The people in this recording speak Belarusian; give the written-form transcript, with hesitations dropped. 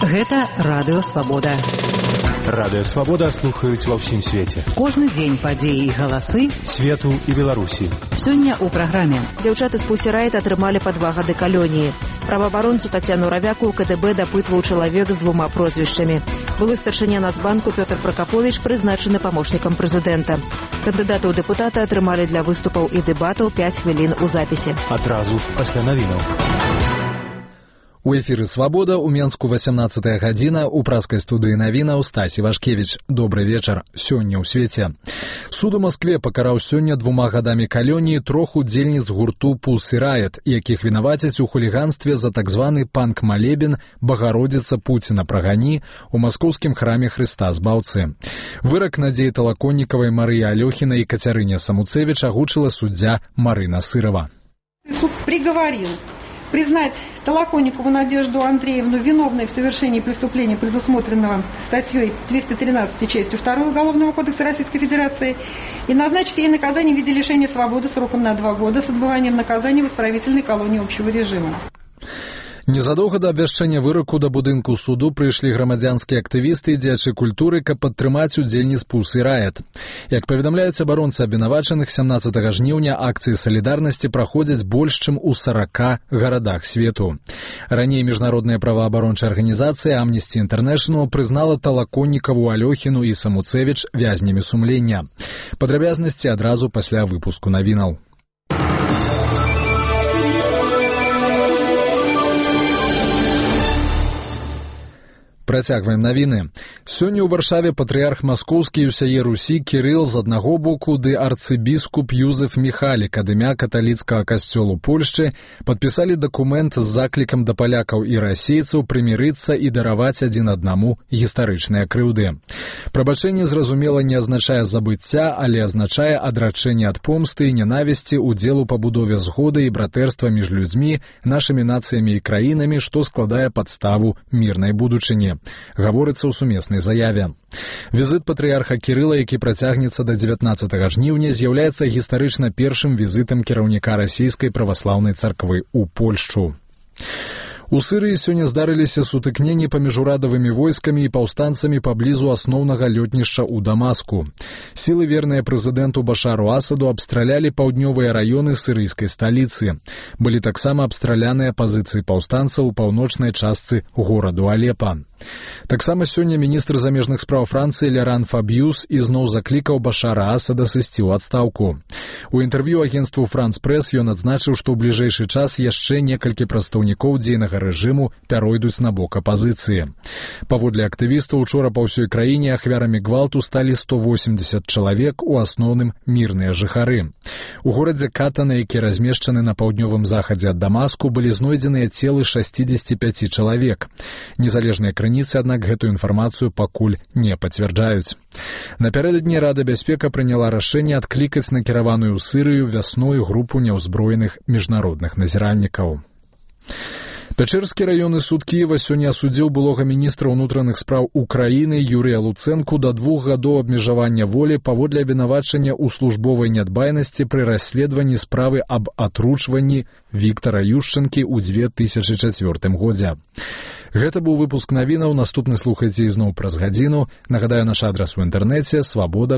Гэта Радыё Свабода. Радыё Свабода слухаюць ва ўсім свеце. Кожны дзень падзеі і галасы свету і Беларусі. Сёння ў праграме. Дзяўчаты з Pussy Riot атрымалі па 2 гады калоніі. Праваабаронцу Тацяну Равяку ў КДБ дапытваў чалавек з 2 прозвішчамі. Былы старшыня Нацбанку Пётр Пракаповіч прызначаны памочнікам прэзідэнта. Кандыдаты ў дэпутаты атрымалі для выступаў і дэбатаў 5 хвілін у запісе. Адразу пасля навінаў. У эфіры «Свабода» у Менску 18 гадзіна, у праскай студыі навінаў Стасі Вашкевіч. Добры вечар. Сёння ў свеце. Суд у Маскве пакараў сёння 2 гадамі калоніі 3 удзельніц гурту Pussy Riot, якіх вінавацяць у хуліганстве за так званы панк-малебен «Багародзіца Пуціна прагані» у маскоўскім храме Хрыста Збаўцы. Вырак Надзеі Талаконнікавай, Марыі Алёхінай і Кацярыне Самуцевіч агучыла суддзя Марына Сырова. Суд приговорил признать Толоконникову Надежду Андреевну виновной в совершении преступления, предусмотренного статьей 213 частью 2 Уголовного кодекса Российской Федерации, и назначить ей наказание в виде лишения свободы сроком на 2 года с отбыванием наказания в исправительной колонии общего режима. Незадоўга да абвяшчэння выраку да будынку суду прыйшлі грамадзянскія актывісты і дзеячы культуры, каб падтрымаць удзельніц Pussy Riot. Як паведамляюць абаронцы абвінавачаных, 17 жніўня акцыі салідарнасці праходзяць больш чым у 40 гарадах свету. Раней міжнародная праваабарончая арганізацыя Amnesty International прызнала Талаконнікаву, Алёхіну і Самуцевіч вязнямі сумлення. Падрабязнасці адразу пасля выпуску навінаў. Працягваем навіны. Сёння ў Варшаве патрыярх маскоўскі і ўсяе Русі Кірыл з аднаго боку ды арцыбіскуп Юзеф Міхалік ад імя каталіцкага касцёлу Польшчы падпісалі дакумент з заклікам да палякаў і расейцаў прымірыцца і дараваць адзін аднаму гістарычныя крыўды. Прабачэнне, зразумела, не азначае забыцця, але азначае адрачэнне ад помсты і ненавісці, удзел у пабудове згоды і братэрства між людзьмі, нашымі нацыямі і краінамі, што складае падставу мірнай будучыні. Гаворыцца ў сумеснай заяве. Візіт патрыярха Кірыла, які працягнецца да 19 жніўня, з'яўляецца гістарычна першым візітам кіраўніка расійскай праваслаўнай царквы ў Польшчу. У Сырыі сёння здарыліся сутыкненні паміж урадавымі войскамі і паўстанцамі паблізу асноўнага лётнішча ў Дамаску. Сілы, верныя прэзідэнту Башару Асаду, абстралялі паўднёвыя раёны сырыйскай сталіцы. Былі таксама абстраляныя пазіцыі паўстанцаў у паўночнай частцы гораду Алепа. Таксама сёння міністр замежных спраў Францыі Ляран Фаб'юс ізноў заклікаў Башара Асада сысці ў адстаўку. У інтэрв'ю агенцтву France Press ён адзначыў, што ў бліжэйшы час яшчэ некалькі прадстаўнікоў дзейнага рэжыму пяройдуць на бок апазіцыі. Паводле актывістаў, учора па ўсёй краіне ахвярамі гвалту сталі 180 чалавек, у асноўным мірныя жыхары. У горадзе Катана, які размешчаны на паўднёвым захадзе ад Дамаску, былі знойдзеныя целы 65 чалавек. Незалежныя крыніцы, аднак, гэтую інфармацыю пакуль не пацвярджаюць. Напярэдадні Рада бяспека прыняла рашэнне адклікаць накіраваную ў Сырыю вясной групу няўзброеных міжнародных назіральнікаў. Пячэрскі раённы суд Кіева сёння асудзіў былога міністра ўнутраных спраў Украіны Юрыя Луцэнку да 2 гадоў абмежавання волі паводле абвінавачання ў службовай нядбайнасці пры расследаванні справы аб атручванні Віктара Юшчэнкі ў 2004 годзе. Гэта быў выпуск навінаў, наступны слухайце ізноў праз гадзіну. Нагадаю, наш адрас у інтэрнэце свабода.